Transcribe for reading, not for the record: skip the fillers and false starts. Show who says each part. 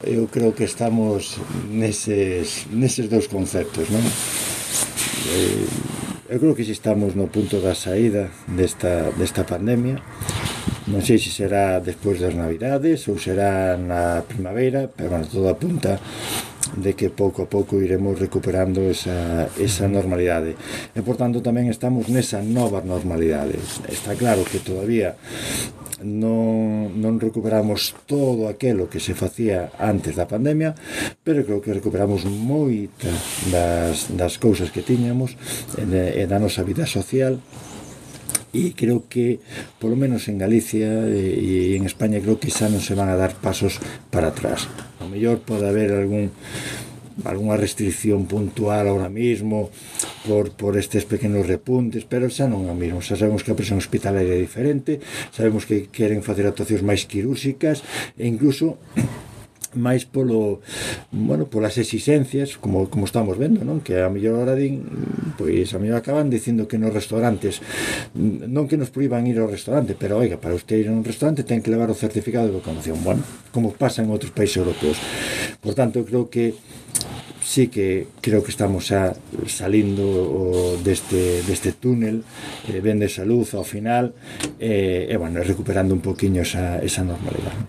Speaker 1: eu creo que estamos neses dous conceptos, non? Eu creo que xa estamos no punto da saída desta pandemia. Non sei se será despois das Navidades ou será na primavera, pero bueno, todo apunta de que pouco a pouco iremos recuperando esa normalidade. E, por tanto, tamén estamos nesa nova normalidade. Está claro que todavía non recuperamos todo aquilo que se facía antes da pandemia, pero creo que recuperamos moitas das cousas que tiñamos e da nosa vida social. E creo que, polo menos en Galicia e en España, creo que xa non se van a dar pasos para atrás. A mellor pode haber algunha restricción puntual ahora mismo por estes pequenos repuntes, pero xa non é o mismo. Xa sabemos que a presión hospitalaria é diferente, sabemos que queren facer actuacións máis quirúrxicas e incluso máis polas exigencias, como estamos vendo, non? Que a mellor hora pois a mellor acaban dicindo que nos restaurantes, non que nos proíban ir ao restaurante, pero oiga, para usted ir a un restaurante ten que levar o certificado de vacunación, bueno, como pasa en outros países europeos. Por tanto, creo que sí que creo que estamos xa salindo deste túnel, vendo esa luz ao final, e bueno, recuperando un poquinho esa normalidade.